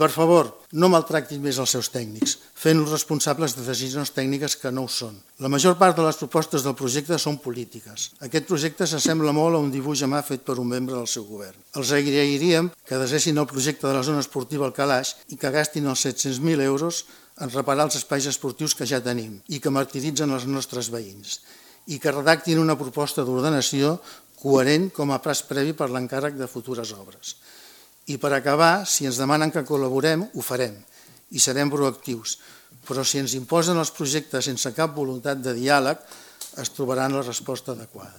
Per favor, no maltractin més els seus tècnics, fent-los responsables de decisions tècniques que no ho són. La major part de les propostes del projecte són polítiques. Aquest projecte s'assembla molt a un dibuix a mà fet per un membre del seu govern. Els agrairíem que desessin el projecte de la zona esportiva al Calaix i que gastin els 700.000 euros en reparar els espais esportius que ja tenim i que martiritzen els nostres veïns, i que redactin una proposta d'ordenació coherent com a pas previ per l'encàrrec de futures obres. I per acabar, si ens demanen que col·laborem, ho farem i serem proactius, però si ens imposen els projectes sense cap voluntat de diàleg, es trobaran la resposta adequada.